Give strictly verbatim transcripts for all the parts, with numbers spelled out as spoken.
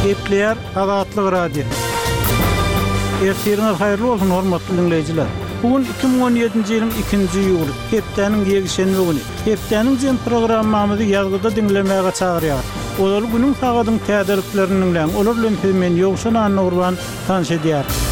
Gepleýär Azatlyk Radiosy. Ertiriňiz haýyrly bolsun, hormatly diňleýjiler! Bu gün iki müň on ýedinji ýylyň ikinji iýuly, hepdäniň ýekşenbe güni. Hepdäniň jem programmamyzy ýazgyda diňlemäge çagyrýarys. Ozaly günüň sagadyň täzeliklerini diňläň, olar bilen sizi men Ýowşan Annagurban tanyş edýärin.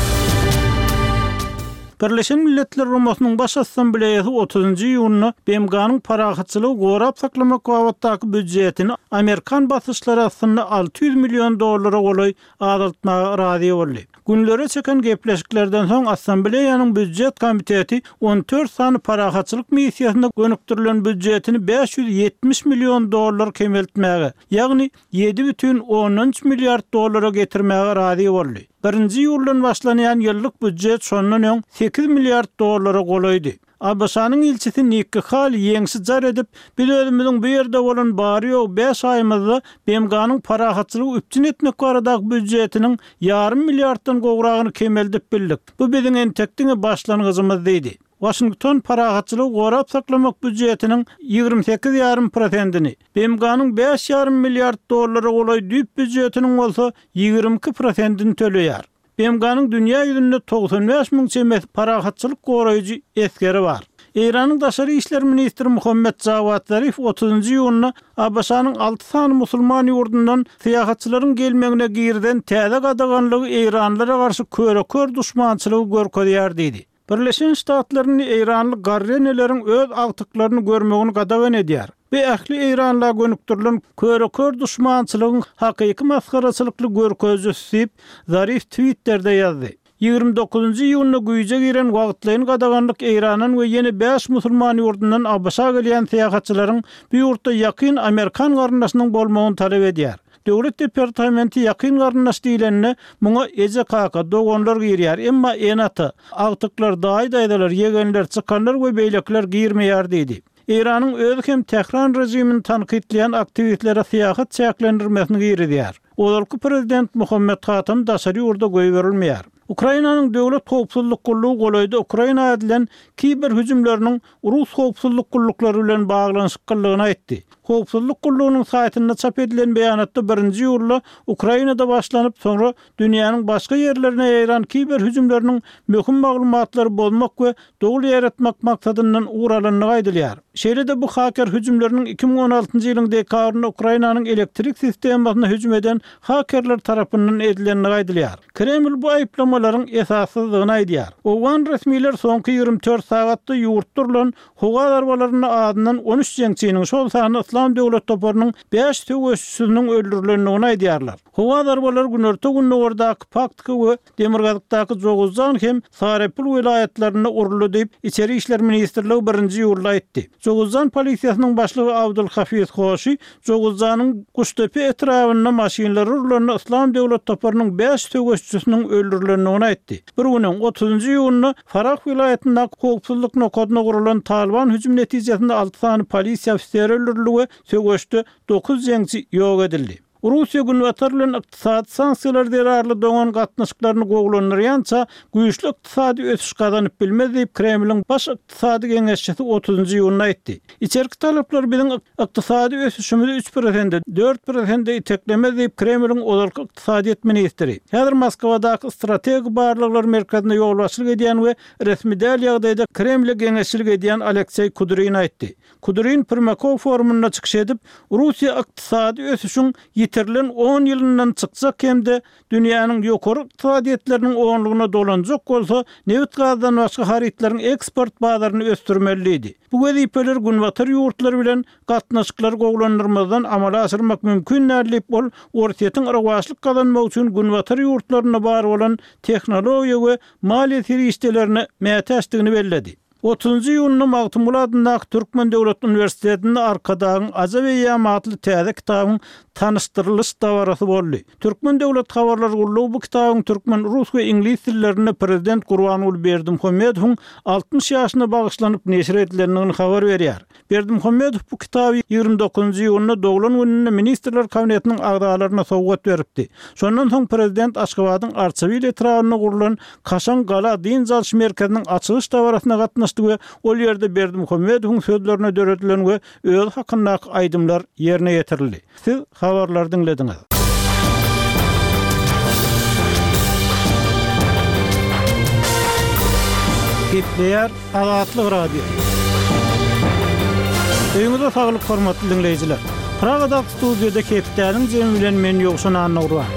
Birleşen Milletler Guramasynyň Baş Assambleýasy otuzynjy iýunda B M G-nyň parahatçylygy gorap saklamak babatdaky býudjetini amerikan basyşlary astynda alty ýüz million dollara golaý azaltmaga razy boldy. Günlere çeken gepleşiklerden soň Assambleýanyň býudjet komiteti on dört sany parahatçylyk missiýasyna gönükdirilen býudjetini bäş ýüz ýetmiş million dollar kemeltmäge, ýagny ýedi bütin ondan üç milliard dollara getirmäge razy boldy. Birinji iýuldan başlanýan ýyllyk býudjet şondan öň sekiz milliard dollara golaýdy. A B Ş-nyň ilçisi Nikki Hali ýeňşi jar edip, biz özümiziň bu ýerde bolan bary-ýogy bäş aýymyzda B M G-nyň parahatçylygy üpjün etmek baradaky býudjetiniň ýarym milliarddan gowragyny kemeldip bildik. Bu biziň entek diňe başlangyjymyz diýdi. Waşington parahatçylygy gorap saklamak býudjetiniň ýigrimi sekiz ýarym prosentini, B M G-nyň bäş ýarym milliard dollara golaý düýp býudjetiniň bolsa ýigrimi iki prosentini töleýär. B M G-nyň dünýä ýüzünde togsan bäş müň çemesi parahatçylyk goraýjy esgeri bar. Eýranyň daşary işler ministri Muhammed Jawad Zarif otuzynjy iýunda A B Ş-nyň alty sany musulman ýurdundan syýahatçylaryň gelmegine girizen täze gadaganlygy Eýranlara garşy köre-kör duşmançylygy görkezýär diýdi. Birleşen Ştatlaryny Eýranly garreneleriň öz agtyklaryny görmegini gadagan edýär. Bu ähli Eýranla gönükdirilen köre-kör duşmançylygyň hakyky masgaraçylykly görkezijisi diýip, Zarif Twitterде ýazdy. Ýigrimi dokuzynjy iýunda güýje giren wagtlaýyn gadaganlyk Eýrandan we ýene bäş musulman ýurdundan A B Ş-a gelýän syýahatçylaryň bu ýurtda ýakyn amerikan garyndaşynyň bolmagyny talap edýär. Döwlet departamenti ýakyn garyndaş diýlende muňa eje kaka, doganlar girýär, emma ene-ata, agtyklar, daýy-daýzalar, ýegenler, çykanlar we beýlekiler girmeýär diýdi. Eýranyň özi hem Tähran režimini tankytlaýan aktiwistlere syýahat çäklendirmesini girizýär. Ozalky prezident Muhammed Hatam daşary ýurda goýberilmeýär. Ukrainanyň döwlet howpsuzlyk gullugy golaýda Ukraina edilen kiber hüjümleriniň Rus howpsuzlyk gulluklary bilen baglanyşyklygyny aýtdy. Howpsuzlyk gullugynyň saýtynda çap edilen beýanatda birinji iýulda Ukrainada başlanyp, soňra dünýäniň başga ýerlerine ýaýran kiber hüjümleriniň möhüm maglumatlary bozmak we dogry ýaratmak maksadyndan ugur alandygy aýdylýar. Şeýle-de bu haker hüjümleriniň iki müň on altynjy ýylyň dekabrynda Ukrainanyň elektrik sistemasyna hüjüm eden hakerler tarapyndan edilendigi aýdylýar. Kreml bu aýyplamalaryň esassyzdygyny aýdýar. Owgan resmiler soňky ýigrimi dört sagatda ýurt durulan howa zarbalarynda azyndan on üç jeňçiniň, şol sanda Yslam döwlet toparynyň bäş söweşçisiniň öldürilendigini aýdýarlar. Howa zarbalary günorta gündogardaky Paktika we Demirgazykdaky Joguzjan hem Sarepul welaýatlarynda uruldy diýip, Içeri işler ministrligi birinji iýulda aýtdy. Joguzjan polisiýasynyň başlygy Abdulhafiz Hoşi Joguzjanyň Guştepe etrabynda maşynlary urulanda Yslam döwlet toparynyň bäş söweşçisiniň öldürilendigini aýtdy. Bir günüň otuzynjy iýunda Farah welaýatyndaky howpsuzlyk nokadyna gurulan Taliban hüjüm netijesinde alty sany polisiýa ofiseri öldürildi we söweşde dokuz jeňçi ýok edildi. Russiýa Günbatar bilen ykdysady sanksiýalar zerarly doňan gatnaşyklaryny gowulandyrýança güýçli ykdysady ösüş gazanyp bilmez diýip Kremliň baş ykdysady geňeşçisi otuzynjy iýunda aýtdy. Içerki talaplar biziň ykdysady ösüşimizi üç prosente, dört prosente iteklemez diýip Kremliň ozalky ykdysadyýet ministri. Häzir Moskwadaky strategik barlaglar merkezinde ýolbaşçylyk edýän we resmi däl ýagdaýda Kremle geňeşçilik edýän Alekseý Kudrin aýtdy. Kudrin Primakov forumynda çykyş edip, Russiýa ykdysady ösüşiň ýitirilen on ýylyndan çykjak hem-de dünýäniň ýokary ykdysadyýetleriniň onlugyna dolanjak bolsa, nebit gazdan başga harytlaryň eksport bazaryny ösdürmeli diýdi. Bu wezipeler Günbatar ýurtlary bilen gatnaşyklary gowulandyrmazdan amala aşyrmak mümkin däl diýip, ol Orsýetiň rowaçlyk gazanmak üçin Günbatar ýurtlarynda bar bolan tehnologiýa we maliýe serişdelerine mätäçdigini belledi. Otuzynjy iýunda Magtymguly adyndaky Türkmen döwlet uniwersitetinde Arkadagyň Ajap eýýamy atly täze kitabyň tanyşdyrylyş dabarasy boldy. Türkmen döwlet habarlar gullugy bu kitabyň türkmen, rus we iňlis dillerinde prezident Gurbanguly Berdimuhamedowyň altmyş ýaşyna bagyşlanyp neşir edilendigini habar berýär. Berdimuhamedow bu kitaby ýigrimi dokuzynjy iýunda doglan gününde Ministrler Kabinetiniň agzalaryna sowgat beripdi. Şondan soň prezident Aşgabadyň Arçabil etrabynda gurulan Kaşaň gala dynç alyş merkeziniň açylyş dabarasyna gatnaşdy we ol ýerde Berdimuhamedowyň sözlerine döredilen we özi hakyndaky aýdymlar ýerine ýetirildi. Siz habarlary diňlediňiz. Gepleýär Azatlyk Radiosy. Öýüňize saglyk hormatly diňleýjiler. Pragadaky studiýada hepdäniň jemi bilen men Ýowşan Annagurban.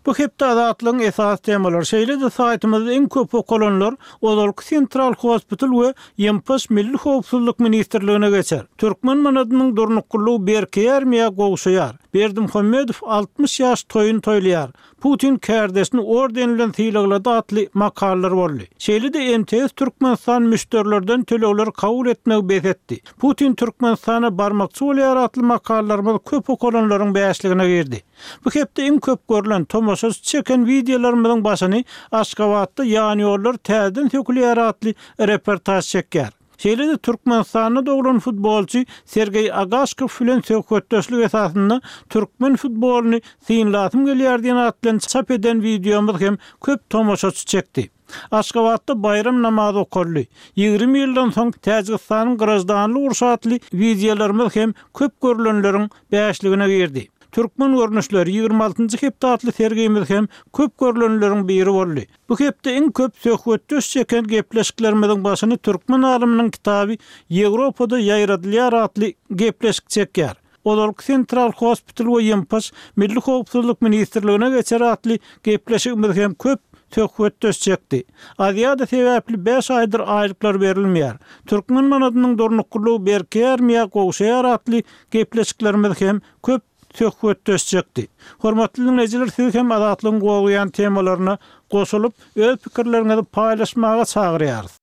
Bu hepde Azatlygyň esasy temalary, şeýle-de saýtymyzda iň köp okalanlar ozalky Central Hospital we Ýempaş Milli Howpsuzlyk ministrligine geçer. Türkmen manadynyň durnuklylygy berkeýärmi ýa gowşaýar? Berdimuhamedow altmyş ýaş toýun toýlaýar. Putin kärdeşini orden bilen sylaglady atly makalalar boldy. Şeýle-de M T S Türkmenistan müşderilerden tölegleri kabul etmegi bes etdi. Putin Türkmenistana barmakçy bolýar atly makalalarymyz köp okalanlaryň bäşligine girdi. Bu hepde iň köp görülen tomaşaçy çeken wideolarymyzyň başyny Aşgabatda ýan ýollar täzeden sökülýär atly reportaj çekýär. Şeýle-de Türkmenistanda doglan futbolçy Sergeý Agaşkow bilen söhbetdeşlik esasynda türkmen futbolyny synlasym gelýär diýen at bilen çap eden wideomyz hem köp tomaşaçy çekdi. Aşgabatda baýram namazy okaldy. Ýigrimi ýyldan soň Täjigistanyň graždanlyk urşy atly wideolarymyz hem köp görülenleriň bäşligine girdi. Türkmen görnüşleri ýigrimi altynjy hepde atly sergimiz hem köp görülenleriň biri boldy. Bu hepde iň köp söhbetdeş çeken gepleşiklerimiziň başyny türkmen alymynyň kitaby Ýewropada ýaýradylýar atly gepleşik çekýär. Ozalky Central Hospital we Ýempaş Milli Howpsuzlyk ministrligine geçer atly gepleşigimiz hem köp söhbetdeş çekdi. Aziýada sebäpli bäş aýdyr aýlyklar berilmeýär. Türkmen manadynyň durnuklylygy berkeýärmi ýa gowşaýar atly gepleşiklerimiz hem köp söhbetdeş çekdi. Hormatly dinleýjiler, siz hem Azatlygyň gowuyan temalaryna goşulyp, öz pikirleriňizi paýlaşmaga çagyrýarys.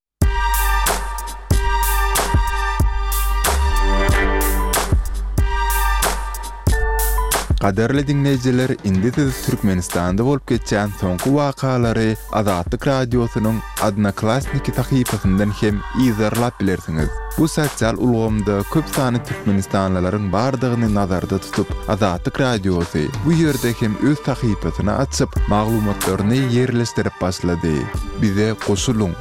Gadarly dinleýjiler, indi siz Türkmenistanda bolup geçen soňky wakalary Azatlyk Radiosynyň Odnoklassniki sahypasyndan hem yzarlap bilersiňiz. Bu sosial ulgamda köp sany türkmenistanlylaryň bardygyny nazarda tutup, Azatlyk Radiosy bu ýerde hem öz sahypasyny açyp, maglumatlaryny ýerleşdirip başlady. Bize goşulyň.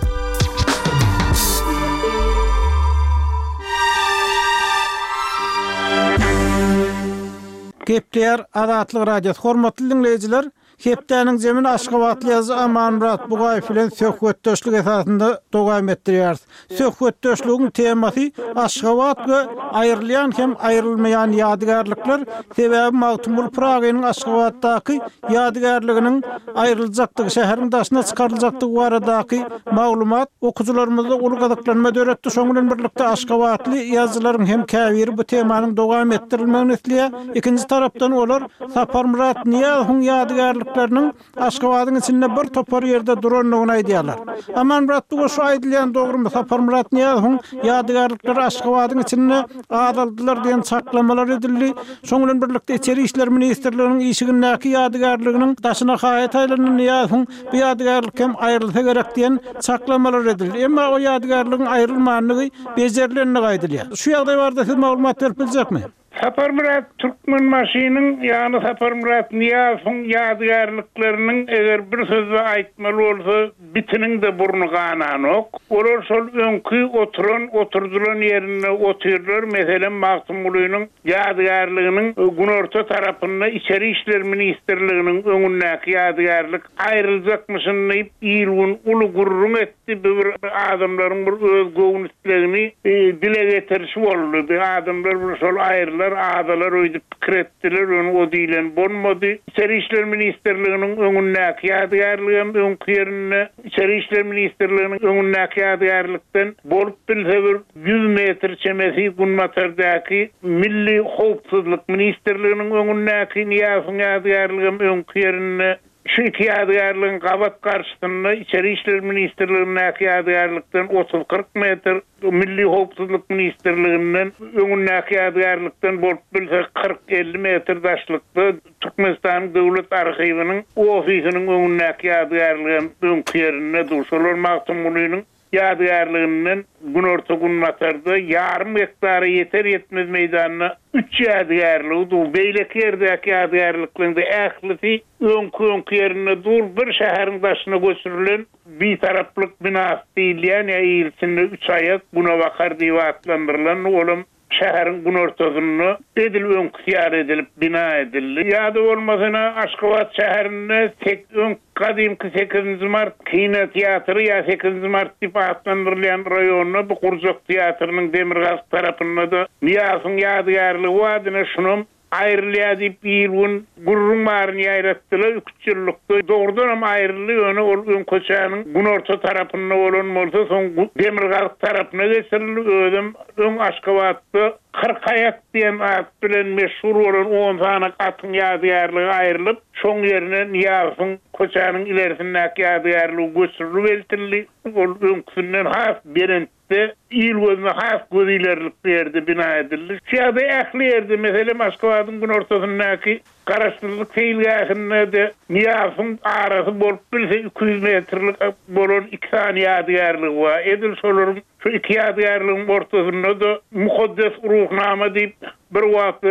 Gepleýär Azatlyk Radiosy. Hormatly dinleýjiler, hepdäniň zemini Aşgabatly ýazyjy Amanmyrat Bugaýew bilen söhbetdeşlik esasynda dowam etdirýäris. Söhbetdeşligiň temasy Aşgabat we aýrylýan hem aýrylmaýan ýadygärlikler, sebäbi Magtymguly Pyragynyň Aşgabatdaky ýadygärliginiň aýryljakdygy, şäheriň daşyna çykaryljakdygy baradaky maglumat okyjylarymyzda uly gyzyklanma döretdi. Şonuň bilen birlikde Aşgabatly ýazyjylaryň hem käbiri bu temanyň dowam etdirilmegini isleýär. Ikinji tarapdan olar Saparmyrat Nyýazowyň ýadygärlikleriniň Aşgabadyň içinde bir topar ýerde durandygyny aýdýarlar. Amanmyrat Bugaýew, şu aýdylýan dogrumy? Saparmyrat Nyýazowyň ýadygärlikleri Aşgabadyň içinde azaldylar diýen çaklamalar edildi. Şonuň bilen birlikde Içeri işler ministrliginiň işigindäki ýadygärliginiň daşyna haýat aýlandy Nyýazowyň bu ýadygärlik hem aýrylsa gerek diýen çaklamalar edildi. Emma o ýadygärligiň aýrylmandygy bejerilenligi aýdylýar. Şu ýagdaý barada siz maglumat berip biljekmi? Saparmyrat Türkmenbaşynyň, ýagny Saparmyrat Nyýazowyň ýadygärlikleriniň eger bir sözde aýtmaly bolsa, bitiniň de burny gananok. Olar şol öňki oturan, oturdylan ýerinde otyrlar. Meselem, Magtymgulynyň ýadygärliginiň günorta tarapynda Içeri işler ministrliginiň öňündäki ýadygärlik aýryljakmyşyn diýip il gün uly gürrüň etdi. Bir adamlaryň bir öz göwün islegini, e, dile getirişi boldy. Bir adamlar bir şol aýrylar, adalar öýdüp pikir etdiler, ony o diýlen bolmady. İçeri işler ministrliginiň öňündäki ýadygärligem öňki ýerinde, İçeri işler ministrliginiň öňündäki ýadygärlikden bolup bilse bir ýüz metr çemesi günbatardaki Milli Howpsuzlyk ministrliginiň öňündäki Nyýazowyň ýadygärligem öňki ýerinde. Şu iki ýadygärligiň gabat garşysynda İçeri işler ministrligindäki ýadygärlikden otuz kyrk metr, Milli Howpsuzlyk ministrliginden öňündäki ýadygärlikden bolup bilse kyrk elli metr daşlykda Türkmenistanyň Döwlet arhiwiniň ofisiniň öňündäki ýadygärligem öňki ýerinde dur. Şolar Magtymgulynyň ýadygärliginden günorta günbatarda ýarym gektara ýeter ýetmez meýdanda üç ýadygärligi dur. Beýleki ýerdäki ýadygärlikleriň de ählisi öňki öňki ýerinde dur. Bir şäheriň daşyna göçürilen bitaraplyk binasy diýilýän ýa il içinde üç aýak günebakar diýip atlandyrylan olam şäheriň günortasynda edil öňküsi ýaly edilip bina edildi. Ýa-da bolmasa Aşgabat şäherinde tek öň gadymky sekizinji mart kino teatry ýa sekizinji mart diýip atlandyrylýan raýonda bu gurjak teatrynyň demirgazyk tarapynda-da Nyýazowyň ýadygärligi bar, ine şunam aýrylýar diýip bir gün gürrüň baryny ýaýratdylar, üç ýyllykda dogrudanam aýryldy, ýöne ol öň köçäniň günorta tarapynda bolan bolsa, soň demirgazyk tarapyna geçirildi, özem öň Aşgabatda kyrk aýak diýen at bilen meşhur bolan on sany atyň ýadygärligi aýrylyp, şoň ýerine Nyýazowyň köçäniň ilerisindäki ýadygärligi göçürilip eltildi. Ol öňküsinden has belentde, il gözüne has göz ilerlikli ýerde bina edildi. Şu ýagdaý ähli ýerde, meselem, Aşgabadyň günortasyndaky Garaşsyzlyk seýilgähinde-de Nyýazowyň arasy bolup bilse iki ýüz metrlik bolan iki sany ýadygärligi bar. Edil şolaryň şu iki ýadygärligiň ortasynda-da Mukaddes Ruhnama diýip bir wagt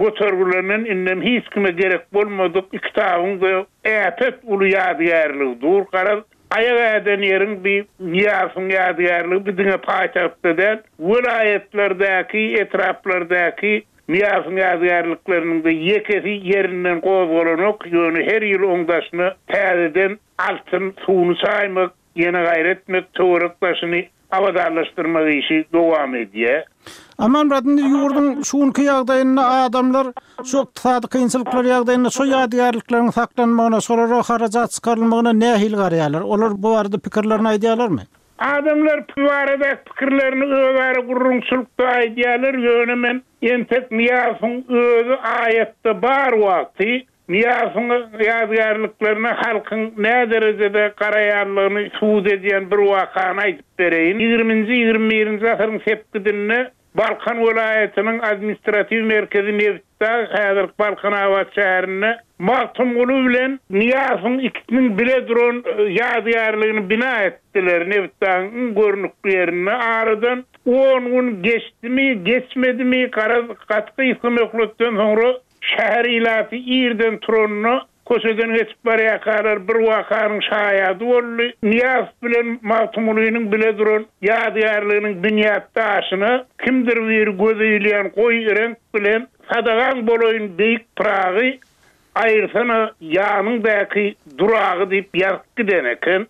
götergilenen, indem hiç kime gerek bolmadyk iki kitabyň-da äpet uly ýadygärligi dur. Garaz, aýak äden ýeriň bir Nyýazowyň ýadygärligi bir diňe paýtagtda däl, welaýatlardaky, etraplardaky Nyýazowyň ýadygärlikleriniň-de ýekesi ýerinden gozgalanok, ýöne her ýyl oň daşyna täzeden altyn suwuny çaýmak, ýene gaýra etmek, töwerek daşyny abadanlaşdyrmak işi dowam edýär. Amanmyrat, indi ýurduň şu günki ýagdaýynda adamlar şu ykdysady kynçylyklar ýagdaýynda şu ýadygärlikleriň saklanmagyna, şolara harajat çykarylmagyna nähili garaýarlar? Olar bu barada pikirlerini aýdýarlarmy? Adamlar bu barada pikirlerini özara gürrüňçilikde aýdýarlar, ýöne men entek Nyýazowyň özi aýatda bar wagty Nyýazowyň ýadygärliklerine halkyň nä derejede garaýanlygyny subut edýän bir wakany aýdyp bereýin. Ýigriminji, ýigrimi birinji asyryň sepgidinde Balkan welaýatynyň administratiw merkezi Nebitdag, häzirki Balkanabat şäherinde Magtymguly bilen Nyýazowyň ikisiniň bile duran ýadygärligini bina etdiler. Nebitdagyň iň görnükli ýerinde aradan on gün geçdimi, geçmedimi, garaz gaty gysga möhletden soňra şäher ilaty irden turanda köçeden geçip barýarkalar bir wakanyň şaýady boldy. Nyýazow bilen Magtymgulynyň bile duran ýadygärliginiň binýat daşyna kimdir biri göze ilýän goýy reňk bilen Sadagaň bolaýyn beýik Pyragy, aýyrsana ýanyňdaky duragy diýip ýazyp giden eken.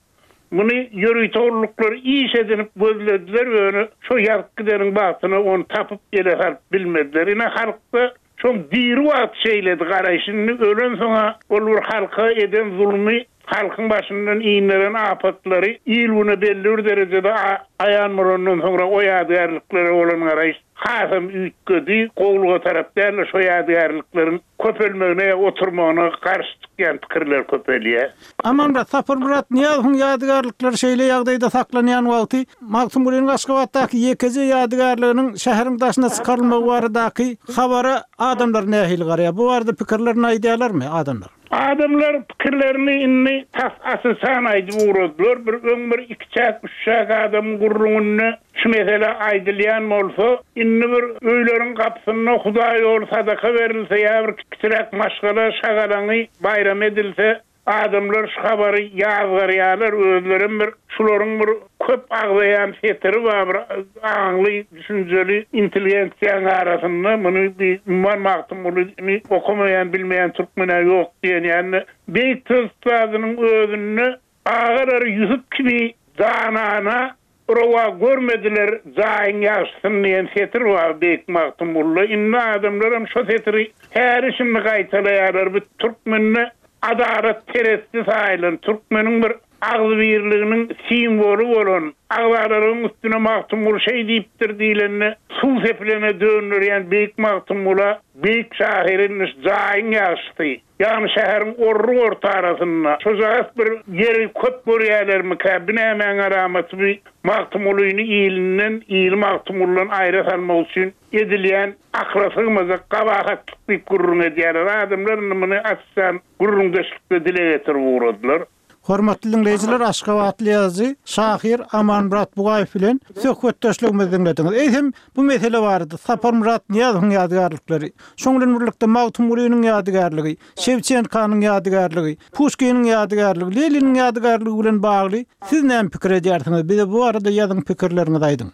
Muny ýörite gulluklar iş edinip gözlediler, ýöne şo ýazyp gideniň bagtyna ony tapyp ele salyp bilmediler. Ine halkda şoň diri wagt şeýledi garaýşy, indi ölen soňa ol bir halka eden zulmy, halkyň başyndan inderen apatlary il güne belli bir derejede aýan bolandan soňra o ýadygärliklere bolan garaýyş hasam üýtgedi, gowluga tarap däl-de şo ýadygärlikleriň köpelmegine, oturmagyna garşy çykýan pikirler köpelýär. Amanmyrat, Saparmyrat Nyýazowyň ýadygärlikleri şeýle ýagdaýda saklanýan wagty Magtymgulynyň Aşgabatdaky ýekeje ýadygärliginiň şäheriň daşyna çykarylmagy baradaky habara adamlar nähili garaýar? Bu barada pikirlerini aýdýarlarmy adamlar? Adamlar pikirlerini indi tas asysan aýdyp ugradylar. Bir öň bir iki çäk, üç çäk adamyň gürrüňinde şu mesele aýdylýan bolsa, indi bir öýleriň gapysynda Hudaý ýoly sadaka berilse ýa bir kiçiräk maşgala şagalaňy baýram edilse, adamlar şu habary ýazgarýarlar, özlerem bir şularyň bir köp agzaýan setiri bar, bir aňly, düşünjeli intelligensiýanyň arasynda muny bir umuman Magtymgulyny okamaýan, bilmeýän türkmen-ä ýok diýen ýaly beýik söz ussadynyň özünde agalary Ýusup kimi danana rowa görmediler jaýyň ýagşysyny diýen setir bar beýik Magtymgulyda. Indi adamlaram şo setiri häli şindi gaýtalaýarlar. Bu türkmende adalat peresti saýylan, türkmeniň bir agzybirliginiň simwoly bolan, agzalaryň üstüne Magtymguly şeý diýipdir diýlende suw sepilene döndürýän beýik Magtymgula beýik şahyryň jaýyň ýagşysy, ýagny şäheriň orruk orta arasynda şojagaz bir ýeri köp görýärlermikä, bu nämäň alamaty bu Magtymgulyny ilinden, ili Magtymgulydan aýra salmak üçin edilýän akyla sygmajak gabahatlyk diýip gürrüň edýärler. Adamlar indi muny açyşan gürrüňdeşlikde dile getirip ugradylar. Hormatly dinleýjiler, Aşgabatly ýazyjy, şahyr Amanmyrat Bugaýew bilen söhbetdeşligimizi diňlediňiz. Eýsem bu mesele barada Saparmyrat Nyýazowyň ýadygärlikleri, şoň bilen birlikde Magtymgulynyň ýadygärligi, Şewçenkanyň ýadygärligi, Puşkiniň ýadygärligi, Leniniň ýadygärligi bilen bagly siz näme pikir edýärsiňiz? Bize bu barada ýazyň pikirleriňizi aýdyň.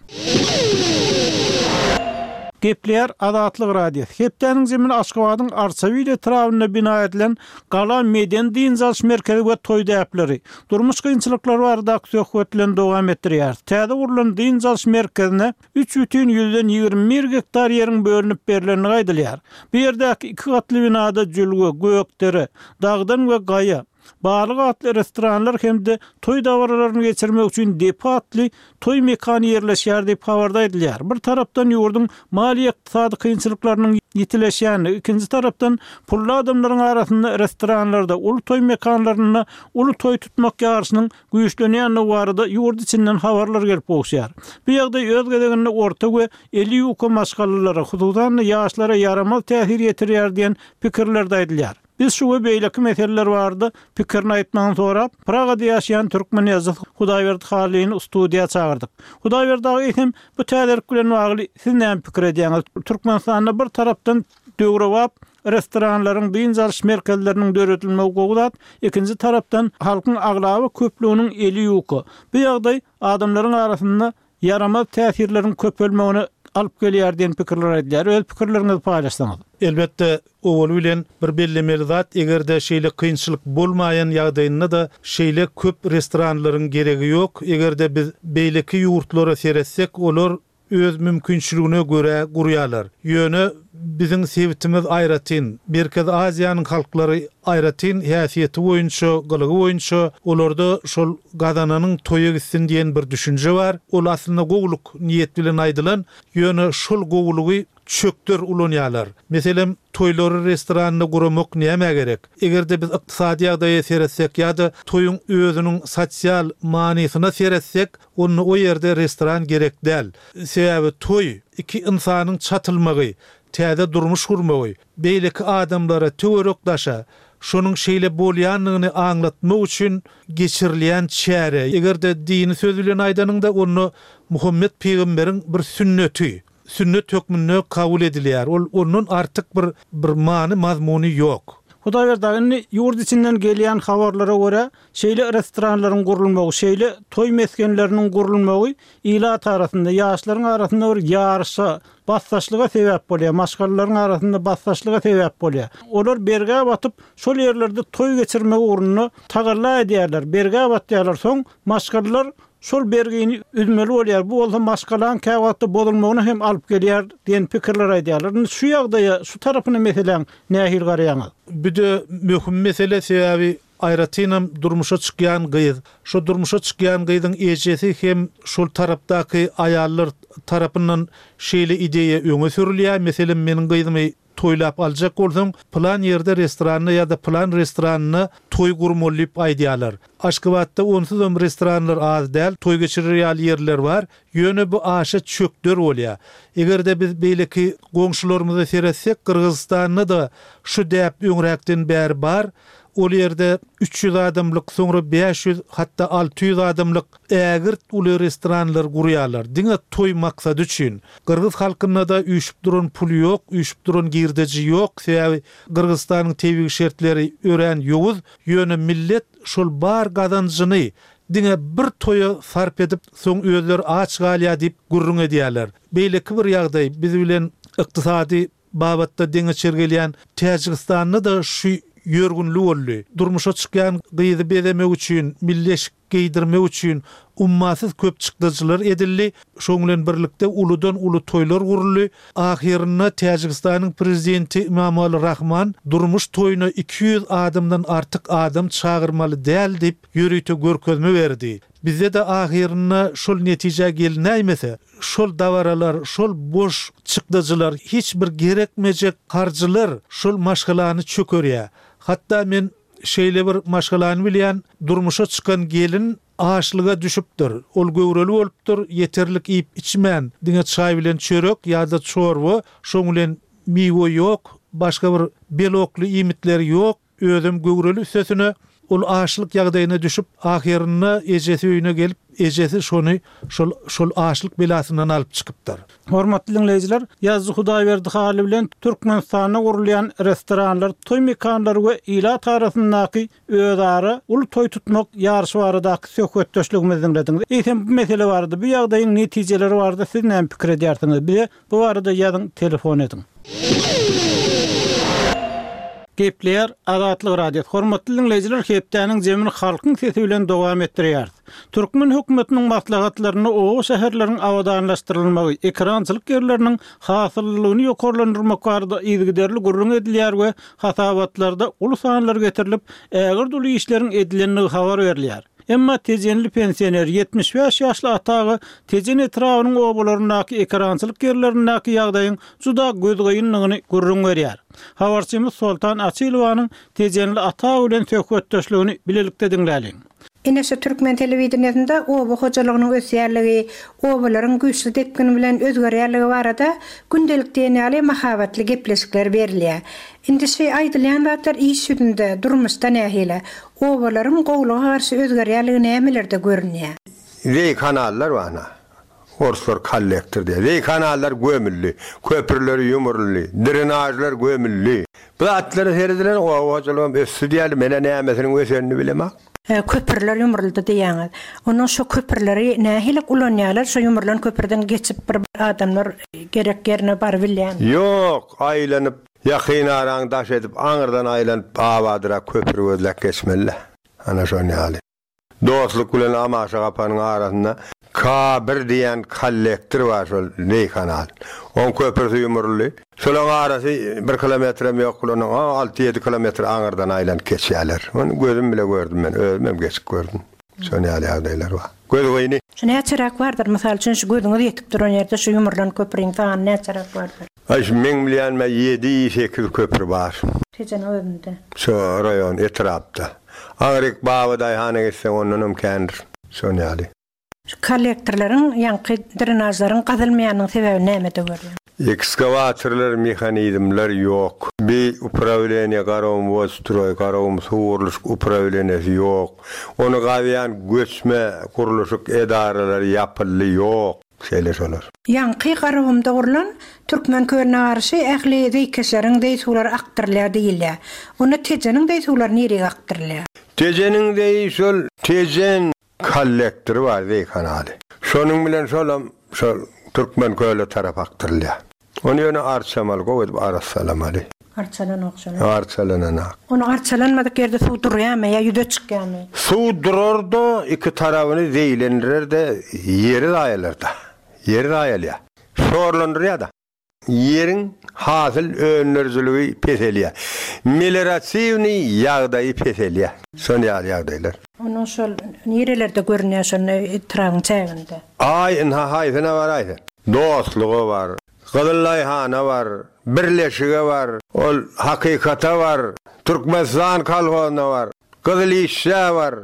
Gepleýär Azatlyk Radiosy. Hepdäniň zemini Aşgabadyň Arçabil etrabynda bina edilen Gala medeni dynç alyş merkezi we toý däpleri, durmuş kynçylyklary baradaky söhbet bilen dowam etdirýär. Täze gurlan dynç alyş merkezine üç bütin ýüzden ýigrimi bir gektar ýeriň bölünip berlendigi aýdylýar. Bu ýerdäki iki gatly binada Jülge, Gökdere, Dagdan we Gaýa, Balyk atly restoranlar hem-de toý dabaralaryny geçirmek üçin Depe atly toý mekany ýerleşýär diýip habarda aýdylýar. Bir tarapdan ýurduň maliýe-ykdysady kynçylyklarynyň ýitileşýändigi, ikinji tarapdan pully adamlaryň arasynda restoranlarda, uly toý mekanlarynda uly toý tutmak ýaryşynyň güýçlenýändigi barada ýurt içinden habarlar gelip gowuşýar. Bu ýagdaý öz gezeginde orta we eli ýuka maşgalalara, hususan-da ýaşlara ýaramaz täsir ýetirýär diýen pikirler-de aýdylýar. Biz şu we beýleki meseleler barada pikirini aýtmagyny sorap, Pragada ýaşaýan türkmen ýazyjysy Hudaýberdi Hallyny studiýa çagyrdyk. Hudaýberdi aga, eýsem, bu täzelik bilen bagly siz näme pikir edýäňiz? Türkmenistanda bir tarapdan döwrebap restoranlaryň, dynç alyş merkezleriniň döredilmegi gowy zat, ikinji tarapdan halkyň aglaba köplüginiň eli ýuka. Bu ýagdaý adamlaryň arasynda ýaramaz täsirleriň köpelmegine alyp gelýär diýen pikirler aýdylýar. Öz pikirleriňizi paýlaşsaňyz. Elbetde, owaly bilen bir bellemeli zat, eger-de şeýle kynçylyk bolmaýan ýagdaýynda-da şeýle köp restoranlaryň geregi ýok. Eger-de biz beýleki ýurtlara seretsek, olar öz mümkinçiligine görä gurýarlar. Ýöne biziň sebitimiz aýratyn, Merkezi Aziýanyň halklary aýratyn häsiýeti boýunça, gylygy boýunça olarda şol gazananyň toýa gitsin diýen bir düşünje bar. Ol aslynda gowulyk niýet bilen aýdylan, ýöne şol gowulygy çökder ulanýarlar. Meselem, toýlary restoranda guramak nämä gerek? Eger-de biz ykdysady ýagdaýa seretsek ýa-da toýuň özüniň sosial manysyna seretsek, onda o ýerde restoran gerek däl. Sebäbi toý iki ynsanyň çatylmagy, täze durmuş gurmagy, beýleki adamlara, töwerek daşa şonuň şeýle bolýandygyny aňlatmak üçin geçirilýän çäre. Eger-de dini söz bilen aýdanyňda, onda Muhammet pygamberiň bir sünneti, sünnet hökmünde kabul edilýär. Ol ondan artyk bir, bir many mazmuny ýok. Hudaýberdi aga, indi ýurt içinden gelýän habarlara görä, şeýle restoranlaryň gurulmagy, şeýle toý mesgenleriniň gurulmagy ilat arasynda, ýaşlaryň arasynda bir ýaryşa, basdaşlyga sebäp bolýar, maşgalalaryň arasynda basdaşlyga sebäp bolýar. Olar bergä batyp, şol ýerlerde toý geçirmek ugrunda tagalla edýärler, bergä batýarlar. Soň maşgalalar şol bergini üzmeli bolýar. Bu bolsa maşgalaň käwagtda bozulmagyna hem alyp gelýär diýen pikirler aýdýarlar. Indi şu ýagdaýa, şu tarapyna meseläň nähili garaýaňyz? Bu de möhüm mesele, sebäbi aýratynam durmuşa çykýan gyz, şo durmuşa çykýan gyzyň ejesi hem şol tarapdaky aýallar tarapyndan şeýle ideýa öňe sürülýär. Meselem, meniň gyzymy toýlap aljak bolsaň, plan ýerde restoranda ýa-da plan restoranda toý gurmaly diýip aýdýarlar. Aşgabatda onsuzam restoranlar az däl, toý geçirer ýaly ýerler bar. Ýöne bu aşa çökder bolýar. Eger-de biz beýleki goňşularymyza seretsek, Gyrgyzystanda da şu däp öňräkden bäri bar. Ol ýerde üç ýüz adamlyk, soňra bäş ýüz, hatda alty ýüz adamlyk ägirt uly restoranlar gurýarlar. Diňe toý maksady üçin. Gyrgyz halkynda da üýşüp duran pul ýok, üýşüp duran girdeji ýok. Sebäbi Gyrgyzystanyň tebigy şertleri örän ýowuz. Ýöne millet şol bar gazanjyny diňe bir toýa sarp edip, soň özleri aç galýar diýip gürrüň edýärler. Beýleki bir ýagdaý biz bilen ykdysady babatda deňeçer gelýän Täjigistanda da şu ýörgünli boldy. Durmuşa çykýan gyzy bezemek üçin, milli eşik geýdirmek üçin ummasyz köp çykdajylar edildi. Şoň bilen birlikde uludan uly toýlar guruldy. Ahyrynda Täjigistanyň prezidenti Emomali Rahman durmuş toýuna iki ýüz adamdan artyk adam çagyrmaly däl diýip ýörite görkezme berdi. Bizde de ahyrynda şol netije gelinäýmese, şol dabaralar, şol boş çykdajylar, hiç bir gerekmejek harjylar şol maşgalany çökerýär. Hatda men şeýle bir maşgalany bilýän, durmuşa çykan gelin açlyga düşüpdir. Ol göwreli bolupdyr, ýeterlik iýip içmän, diňe çaý bilen çörek ýa-da çorba, şoň bilen miwe ýok, başga bir belokly iýmitler ýok, özüm göwreli üstesine Ol açlyk ýagdaýyna düşüp, ahyrynda ejesi öýüne gelip, ejesi şony şol şol açlyk belasyndan alyp çykypdyr. Hormatly diňleýjiler, Ýazyjy Hudaýberdi Hally bilen Türkmenistanda gurulýan restoranlar, toý mekanlary we ilat arasyndaky özara uly toý tutmak ýaryşy baradaky söhbetdeşligimizi diňlediňiz. Eýsem bu mesele barada, bu ýagdaýyň netijeleri barada siz näme pikir edýärsiňiz? Bize bu barada ýazyň, telefon ediň. Gepleýär Azatlyk Radiosy. Hormatly diňleýjiler, hepdäniň jemini halkyň sesi bilen dowam etdirýäris. Türkmen hökümetiniň maslahatlarynda oba şäherleriň abadanlaşdyrylmagy, ekerançylyk ýerleriniň hasyllylygyny ýokarlandyrmak barada yzygiderli gürrüň edilýär we hasabatlarda uly sanlar getirilip, ägirt uly işleriň edilendigi habar berilýär. Emma Tejenli pensioner ýetmiş bäş ýaşly ata aga Tejen etrabynyň obalaryndaky ekerançylyk ýerlerindäki ýagdaýyň juda gözgynydygyny gürrüň berýär. Habarçymyz Soltan Açylowanyň Tejenli ata aga bilen söhbetdeşligini bilelikde diňläliň. Ine şu türkmen telewideniýesinde oba hojalygynyň ösýänligi, obalaryň güýçli depgin bilen özgerýänligi barada gündelik diýen ýaly mahabatly gepleşikler berilýär. Indi şu aýdylýan zatlar iş ýüzünde, durmuşda nähili? Obalaryň gowulyga garşy özgerýänligi nämelerde görünýär? Zeý kanallar bar ana. Orslar kollektor diýýär. Zeý kanallar gömüldi, köprüler ýumruldy, drenažlar gömüldi. Bu zatlara seredilen oba hojalygam ösdi diýýärler. Men-ä nämesiniň ösenini bilemok. Köprüler ýumruldy diýýäňiz. Ondan şo köprüleri nähili ulanýarlar? Şo ýumrulan köprüden geçip bir adamlar gerek ýerine barybilýärmi? Ýok, aýlanyp, ýakyn araň daş edip, aňyrdan aýlanyp, abadyrak köpri gözläp geçmeli-dä. Ana şon ýaly. Dostluk bilen Amaşa gapanyň arasynda K bir diýen kollektor bar şol zeý kanal. Oň köprüsi ýumruldy. Şolaň arasy bir kilometrem ýok bulan alty-ýedi kilometr aňyrdan aýlanyp geçýärler. Ony gözüm bile gördüm men, özüm hem geçip gördüm. Şon ýaly ýagdaýlar bar. Göz gyny. Şu näçeräk bardyr? Mysal üçin, şu gözüňiz ýetip duran ýerde şu ýumrulan köprüň sany näçeräk bardyr? Aý, şu meň bilýänime ýedi-sekiz köpri bar. Tejeniň özünde. Şu raýon, etrapda. Aňryk Babadaýhana gitseň ondanam kändir. Şon ýaly. Şu kollektorlaryň, ýaňky drenažlaryň gazylmaýanynyň sebäbi nämede görýäň? Ekskawatorlar, mehanizmler ýok. Bi uprawleniýe Garagumwodstroý, Garagum suw gurluşyk uprawleniýesi ýok. Ony gazýan göçme gurluşyk edaralary ýapyldy, ýok. Şeýle şolar. Ýaňky Garagumda gurlan Türkmen kölüne garşy ähli zeýkeşleriň zeý suwlary akdyrylýar diýilýär. Onda Tejeniň zeý suwlary nirege akdyrylýar? Tejeniň zeýi şol Tejen kollektory bar, zeý kanaly. Şonuň bilen şolam şol Türkmen köle tarap akdyrylýar. Ony ýöne arçamaly, gowy edip arassalamaly. Arçalanok şony. Arçalananak. Ony arçalanmadyk ýerde suw durýarmy ýa ýüze çykýarmy? Suw durar-da, iki tarabyny zeýlendirer-de, ýeri zaýalar-da. Ýeri zaýalýar. Şorlandyrýar-da. Ýeriň hasyl öndürijiligi peselýär. Melioratiwnyý ýagdaýy peselýär. Şon ýaly ýagdaýlar. Onuň şol nirelerde görünýär şol etrabyň çäginde? Aý, ynha haýsyna baraý sen. Dostluga bar, Gyzyllaýhana bar, Birleşige bar, ol Hakykata bar, Türkmenistan kolhozyna bar, Gyzyl işçä bar.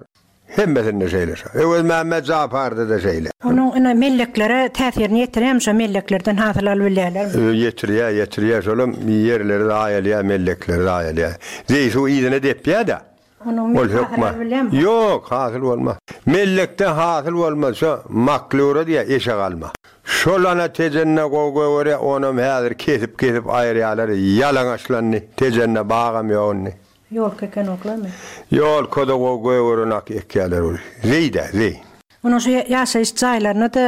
Hemmesinde şeýle şo. Öwezmämmet Japarda-da şeýle. Onuň ine melleklere täsirini ýetirýärmi şo melleklerden hasyl alyp bilýärlermi? Ýetirýär, ýetirýär. Şolam ýerleri zaýalýar, mellekleri zaýalýar. Zeý suw yzyna depýär-de. Onuň Ol hasyl hökman. alyp bilýärmi? Ýok, hasyl bolmaz. Mellekde hasyl bolmaz. Şo maklura diýýär, eşek alma. Şol ana Tejende gowy gögerýär, onam häzir kesip-kesip aýyrýarlar. Ýalaňaçlandy. Tejende bagam ýok indi. Ýolka ekenoklarmy? Ýolka-da gowy gögerenak ekýärler ol. Zeý-dä, zeý. Onuň şu ýaşaýyş jaýlaryna-da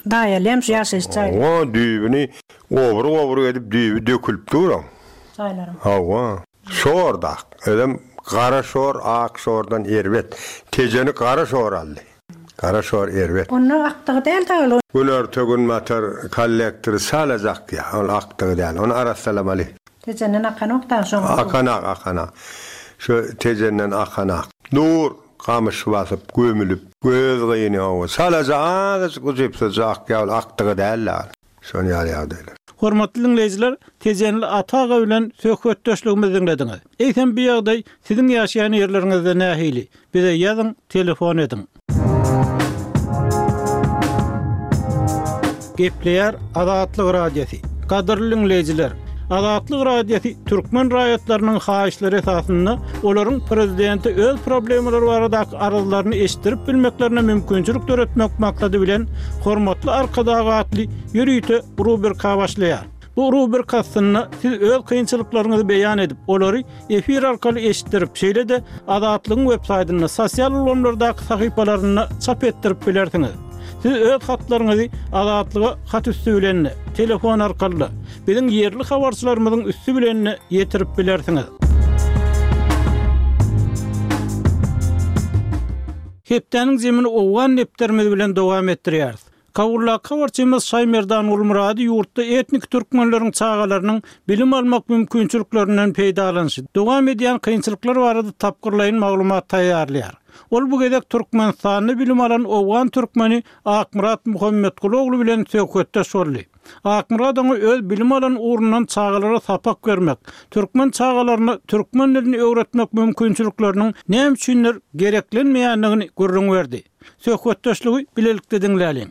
daýalýarmy şu ýaşaýyş jaýlary? Hawa, düýbüni obruk-obruk edip düýbi dökülip dur oň. Jaýlaryň. Hawa. Şor dak. Özem gara şor ak şordan erbet. Tejeni gara şor aldy. Gara şor erbet. Onda akdygy däl dagy ol. Günorta-günbatar kollektory çalaja akýar. Ol akdygy däl. Ony arassalamaly. Tejenden akanok dagy şoň suw. Akanak, akanak. Şu Tejenden akanak. Dur, gamyş basyp, gömülip. Göz gyny hawa. Çalaja azajyk ujypsyzja akýar, ol akdygy däl-de. Şon ýaly ýagdaýlar. Hormatly diňleýjiler, Tejenli Ata aga bilen söhbetdeşligimizi diňlediňiz. Eýsem bu ýagdaý siziň ýaşaýan ýerleriňizde nähili? Bize ýazyň, telefon ediň. Gepleýär Azatlyk Radiosy. Gadyrly diňleýjiler, Azatlyk Radiosy türkmen raýatlarynyň haýyşlary esasynda olaryň prezidente öz problemalary baradaky arzlaryny eşitdirip bilmeklerine mümkinçilik döretmek maksady bilen Hormatly Arkadag atly ýörite rubrika başlaýar. Bu rubrika astynda siz öz kynçylyklaryňyzy beýan edip, olary efir arkaly eşitdirip, şeýle-de Azatlygyň web saýtynda, sosial ulgamlardaky sahypalarynda çap etdirip bilersiňiz. Siz öz hatlaryňyzy Azatlyga hat üsti bilen-de, telefon arkaly-da, biziň ýerli habarçylarymyzyň üsti bilen-de ýetirip bilersiňiz. Hepdäniň zemini owgan depderimiz bilen dowam etdirýäris. Kabuldaky habarçymyz Şaýmerdan Gulmyrady ýurtda etniki türkmenleriň çagalarynyň bilim almak mümkinçiliklerinden peýdalanyşy, dowam edýän kynçylyklar barada tapgyrlaýyn maglumat taýýarlaýar. Ol bu gezek Türkmenistanda bilim alan owgan türkmeni Akmyrat Muhammetguly ogly bilen söhbetdeş boldy. Akmyrat oňa öz bilim alan ugrundan çagalara sapak bermek, türkmen çagalaryna türkmen dilini öwretmek mümkinçilikleriniň näme üçindir gereklenmeýändigini gürrüň berdi. Söhbetdeşligi bilelikde diňläliň.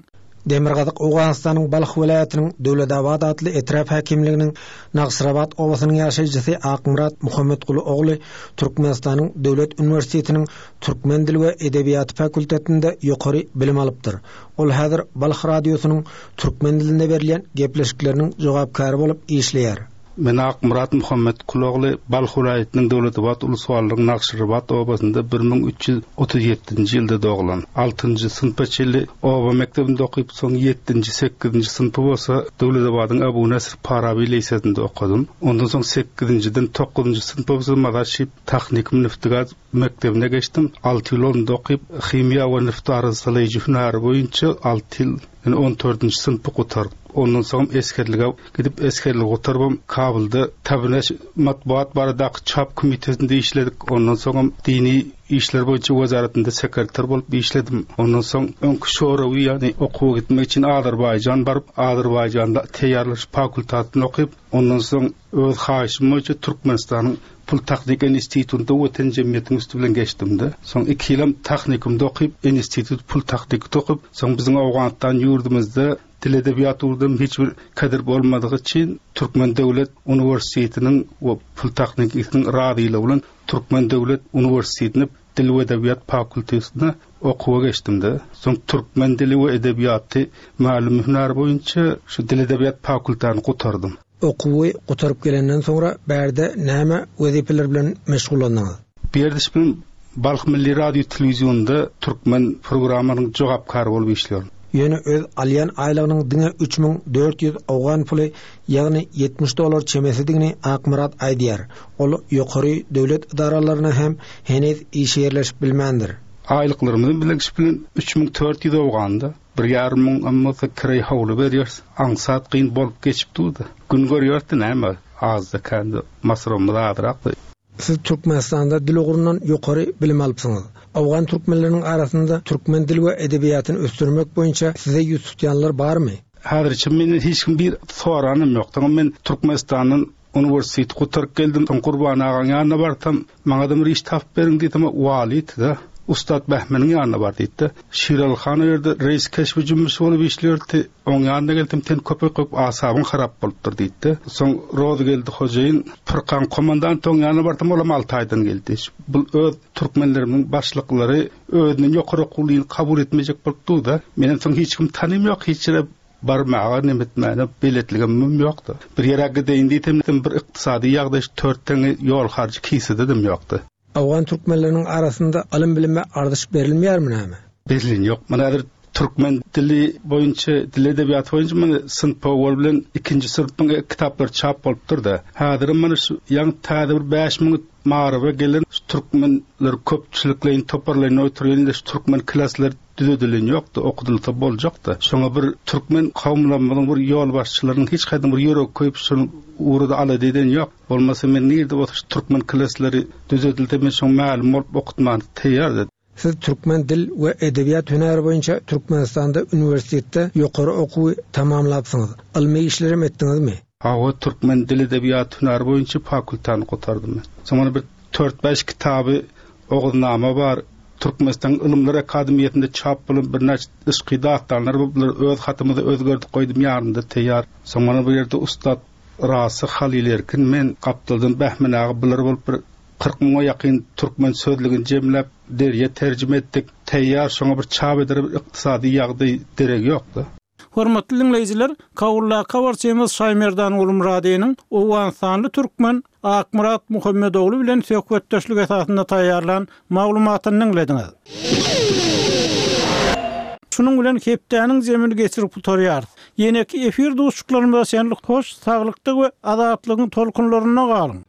Demirgazyk Owganystanyň Balh welaýatynyň Döwletabat atly etrap häkimliginiň Nagyşrabat obasynyň ýaşaýjysy Akmyrat Muhammetguly ogly Türkmenistanyň Döwlet uniwersitetiniň Türkmen dili we edebiýaty fakultetinde ýokary bilim alypdyr. Ol häzir Balh radiosynyň türkmen dilinde berilýän gepleşikleriniň jogapkäri bolup işleýär. Men Akmyrat Muhammetguly ogly Balh welaýatynyň Döwletabat uluswalynyň Nagyşrabat obasynda bir müň üç ýüz otuz ýedinji ýylda doglan. Altynjy synpa çenli oba mekdebinde okyp, soň ýedinji, sekizinji synpy bolsa Döwletabadyň Abu Nasr Farabi lisesinde okadym. Ondan soň sekizinjiden dokuzynjy synpa bolsa Mazar-Şerif Tehnikum Neftigaz mekdebine geçdim. Alty ýyl onda okyp, himiýa we neft arassalaýjy hünäri boýunça alty ýyl, ýani on dördünji synpy gutardym. Ondan soň esgerlige gidip, esgerligi gutaryp, Kabulda Tabineş matbuat baradaky çap komitetinde işledik. Ondan soň dini işler boýunça wezaretinde sekreter bolup işledim. Ondan soň öňki Şorawy, ýani okuwa gitmek üçin Azerbaýjan baryp, Azerbaýjanda teýýarlaş fakultetini okyp, ondan soň öz haýyşym boýunça Türkmenistanyň Pul Tehnik Institutynda Watan Jemgyýetiniň üsti bilen geçdim-de. Soň iki ýylam tehnikumda okyp, institut pul tehnikde okyp, soň biziň Owganystan ýurdumyzda dil edebiýat ugurdan hiç bir kadir bolmadygy üçin Türkmen Döwlet Uniwersitetiniň we Pul Tehnikisiniň razylygy bilen Türkmen Döwlet Uniwersitetine Dil we Edebiýat fakultetine okuwa geçdim-de. Soň türkmen dili we edebiýaty mälum hünär boýunça şu dil edebiýat fakultetini gutardym. Okuwy gutaryp gelenden soňra bärde näme wezipeler bilen meşgullandyňyz? Bu ýerde bilen Balh Milli Radio Telewizyonda türkmen programmanyň jogapkary bolup işliyorum. Ýöne öz alýan aýlygynyň diňe üç müň dört ýüz owgan puly, ýagny ýetmiş dollar çemesidigini Akmyrat aýdýar. Ol ýokary döwlet edaralaryna hem heniz işe ýerleşip bilmändir. Aýlyklarymyzy bilen bilen üç müň dört ýüz owganda bir ýarym müň ammasa kireý howly berýär. Aňsat gyn bolup geçip durdy. Gün görýärdi näme? Azda kendi masrafymyz azrakdy. Siz Türkmenistanda dil ugrundan ýokary bilim alypsyňyz. Owgan türkmenleriniň arasynda türkmen dili we edebiýatyny ösdürmek boýunça size ýüz tutýanlar barmy? Häzirçe menden hiç kim bir soranym ýok. Tamam, men Türkmenistandan uniwersiteti gutaryp geldim. Soň Gurban agaň ýanyna barsam, maňa da bir iş tapyp beriň diýdim, walit-de, Ustad Behmeniň ýanyna bar diýdi. Şiraly han o ýerde reis keşbi jümmüş bolup işliyordi. Oň ýanyna geldim, sen köpek köp asabyň harap bolupdyr diýdi. Soň Rozy geldi hojaýyn, Furkan komandant oň ýanyna bardym, olam alty aýdan geldi. Bu öz türkmenlerimiň başlyklary özüniň ýokary okuwyny kabul etmejek bolup durdy. Menen soň hiç kim tanym ýok, hiç ýere barmaga, neme etmäne beletligim ýokdy. Bir ýere gideýin diýsem, bir ykdysady ýagdaý dört teňňe ýol harjy kisede dem ýokdy. Owgan türkmenleriniň arasynda ylym bilime ardyş berilmeýärmi näme? Berilin ýok. Mana häzir türkmen dili boýunça, dil edebiýaty boýunça mana synp owal bilen ikinji synpyň kitaplary çap bolupdyr-da. Häzir mana şu ýaňy täze bir bäş müň maryba gelen şu türkmenler köpçülikleýin toparlaýyn oturýan şu türkmen klaslar düzedilen ýokdy, okudylsa boljakdy. Şoňa bir türkmen kowumlarymyzyň bir ýolbaşçylarynyň hiç haýsy bir ýürek köýüp şunu ugrada alada eden ýok. Bolmasa men nirde bolsa şu türkmen klaslary düzedilse men şoň mälum bolup okutman taýýardy. Siz türkmen dil we edebiýat hünäri boýunça Türkmenistanda uniwersitetde ýokary okuwy tamamlapsyňyz. Ylmy işlerem etdiňizmi? Hawa, türkmen dil edebiýat hünäri boýunça fakultany gutardym men. Soňra bir dört bäş kitaby Oguznama bar. Türkmenistan Ylymlar Akademiýasynda çap bolan birnäçe yşky dastanlar bu, bular öz hatymyzy özgerdip goýdum ýanynda taýýar. Soňra bir ýerde Ustad Rasyh, Halyl Erkin, men, gapdaldan Bähmen aga bular bolup bir kyrk müňe ýakyn türkmen sözlügini jemläp deriýe terjime etdik. Taýýar şoňa bir çap edere bir ykdysady ýagdaý deregi ýokdy. Hormatly diňleýjiler, Kabuldaky habarçymyz Şaýmerdan Gulmyradynyň owganystanly türkmen Akmyrat Muhammedogly bilen söhbetdeşlik esasynda taýýarlan maglumatyny diňlediňiz. Şunuň bilen hepdäniň jemini geçirip gutarýarys. Ýeneki efir duşuşyklarymyza çenli hoş saglykda we azatlygyň tolkunlarynda galyň!